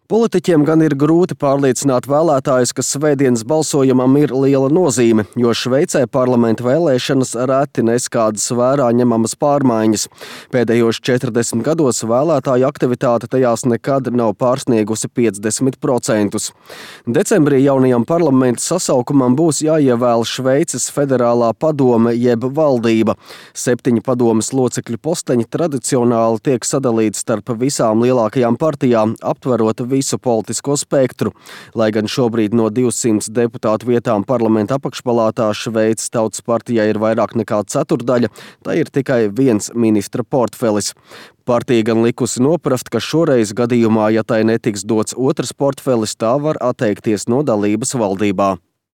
Politiķiem gan ir grūti pārliecināt vēlētājus, ka svētdienas balsojumam ir liela nozīme, jo Šveicē parlamenta vēlēšanas reti nes kādas vērā ņemamas pārmaiņas. Pēdējos 40 gados vēlētāju aktivitāte tajās nekad nav pārsniegusi 50%. Decembrī jaunajam parlamenta sasaukumam būs jāievēl Šveices federālā padome jeb valdība. 7 padomes locekļu posteņi tradicionāli tiek sadalīti starp visām lielākajām partijām, aptverot visu politisko spektru. Lai gan šobrīd no 200 deputātu vietām parlamenta apakšpalātā Šveices Tautas partijai ir vairāk nekā ceturdaļa, tā ir tikai viens ministra portfelis. Partija gan likusi noprast, ka šoreiz gadījumā, ja tai netiks dots otrs portfelis, tā var atteikties no dalības valdībā.